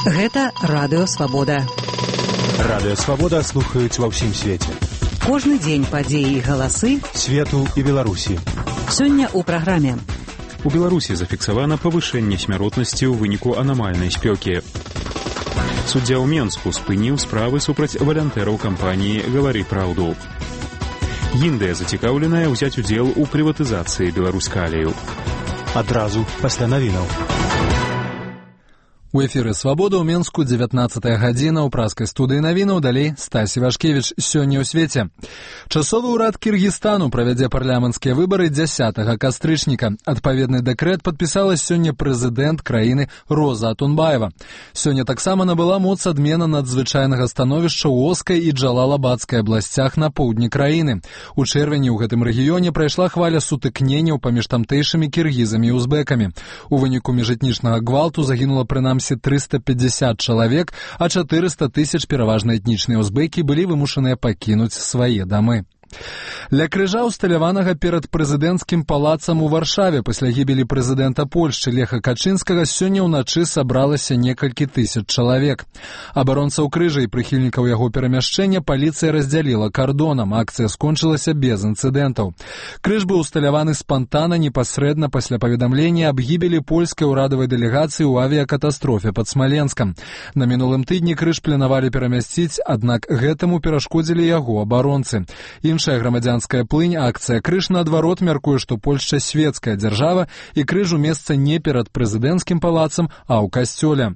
Гэта Радыё Свабода. Радыё Свабода слухаюць ва ўсім свеце. Кожны дзень падзеі і галасы свету і Беларусі. Сёння ў праграме. У Беларусі зафіксавана павышэнне смяротнасці ў выніку анамальнай спёкі. Суддзя ў Менску спыніў справы супраць валантэраў кампаніі «Гавары праўду». Індыя зацікаўленая ўзяць удзел у прыватызацыі Беларускалію. Адразу пасля навінаў. У эфіры «Свабода» ў Менску 19-я гадзіна, ў праскай студыі навінаў, далей Стась Івашкевіч. Сёння ў свеце. Часовы ўрад Кіргізстану правядзе парламенцкія выбары 10 кастрычніка. Адпаведны дэкрэт падпісала сёння прэзідэнт краіны Роза Атунбаева. Сёння таксама набыла моц адмена надзвычайнага становішча ў Оскай і Джалалабадскай абласцях на поўдні краіны. У чэрвені ў гэтым рэгіёне прайшла хваля сутыкненняў паміж тамтэйшымі кіргізамі і узбекамі. У выніку міжэтнічнага гвалту загінула прынамсі 350 чалавек, а 400 тысяч пераважна этнічныя узбекі былі вымушаныя пакінуць свае дамы. Ля крыжа усталяванага перад прэзідэнцкім палацам у Варшаве пасля гібелі прэзідэнта Польшчы Леха Качынскага сёння ўначы сабралася некалькі тысяч чалавек. Абаронцаў крыжа і прыхільнікаў яго перамяшчэння паліцыя раздзяліла кардонам. Акцыя скончылася без інцыдэнтаў. Крыж быў усталяваны спантанна непасрэдна пасля паведамлення аб гібелі польскай урадавай дэлегацыі ў авіякатастрофе пад Смаленскам. На мінулым тыдні крыж планавалі перамясціць, аднак гэтаму перашкодзілі яго абаронцы. Іншая грамадзянская плынь, акцыя «Крыж» наадварот мяркуе, што Польшча свецкая дзяржава і крыжу месца не перад прэзідэнцкім палацам, а ў касцёле.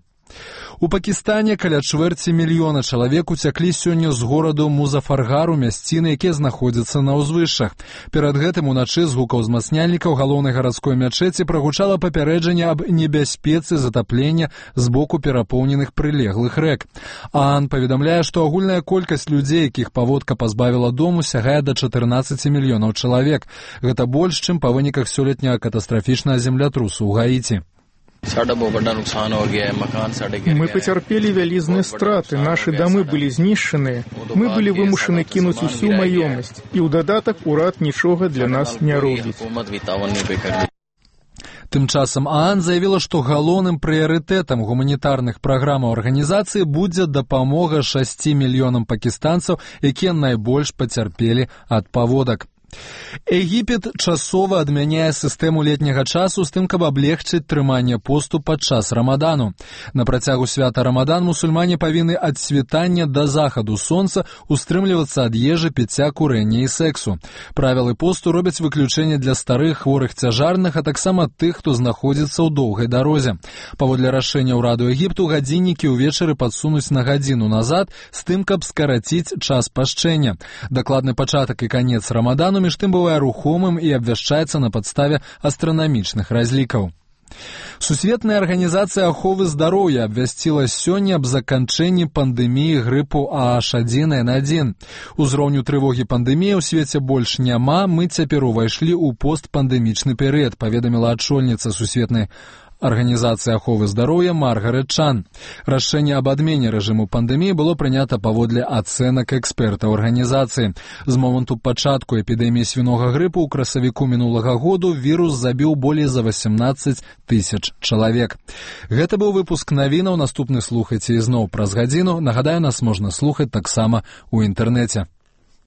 У Пакістане каля 250 000 чалавек уцяклі сёння з гораду Музафаргару, мясціны, якія знаходзяцца на ўзвышшах. Перад гэтым уначы з гукаў узмацняльнікаў галоўнай гарадской мячэці прагучала папярэджанне аб небяспецы затаплення з боку перапоўненых прылеглых рэк. ААН паведамляе, што агульная колькасць людзей, якіх паводка пазбавіла дому, сягае да 14 мільёнаў чалавек. Гэта больш, чым па выніках сёлетняга катастрафічнага землятрусу ў Гаіці. Мы потерпели вялізныя страты, наши дамы былі знішчаныя, мы былі вымушаны кінуць усю маёмасць, і ў дадатак урад нічога для нас не робіць. Тым часам ААН заявіла, што галоўным прыярытэтам гуманітарных праграмаў арганізацыі будзе дапамога 6 мільёнам пакістанцаў, якія найбольш пацярпелі ад паводак. Егіпет часова адмяняе сістэму летняга часу з тым, каб аблегчыць трыманне посту падчас рамадану. На працягу свята рамадан мусульмане павінны ад світання да захаду сонца устрымлівацца ад ежы, піцця, курэння і сэксу. Правілы посту робяць выключэнне для старых, хворых, цяжарных, а таксама тых, хто знаходзіцца ў доўгай дарозе. Паводле рашэння ўраду Егіпту гадзіннікі ўвечары падсунуць на гадзіну назад з тым, каб скараціць час пашчэння. Дакладны пачатак і канец рамадану між тым бывае рухомым і абвяшчаецца на падставе астранамічных разлікаў. Сусветная арганізацыя аховы здароўя абвясціла сёння аб заканчэнні пандэміі грыпу H1N1. Узроўню трывогі пандэміі ў свеце больш няма, мы цяпер увайшлі ў постпандэмічны перыяд, паведаміла ачольніца Сусветнай арганізацыі аховы здароўя Маргарет Чан. Рашэнне аб адмене рэжыму пандэміі было прынята паводле ацэнак экспертаў арганізацыі. З моманту пачатку эпідэміі свінога грыпу ў красавіку мінулага году вірус забіў болей за 18 000 чалавек. Гэта быў выпуск навінаў. Наступны слухайце ізноў праз гадзіну. Нагадаю, нас можна слухаць таксама ў інтэрнэце.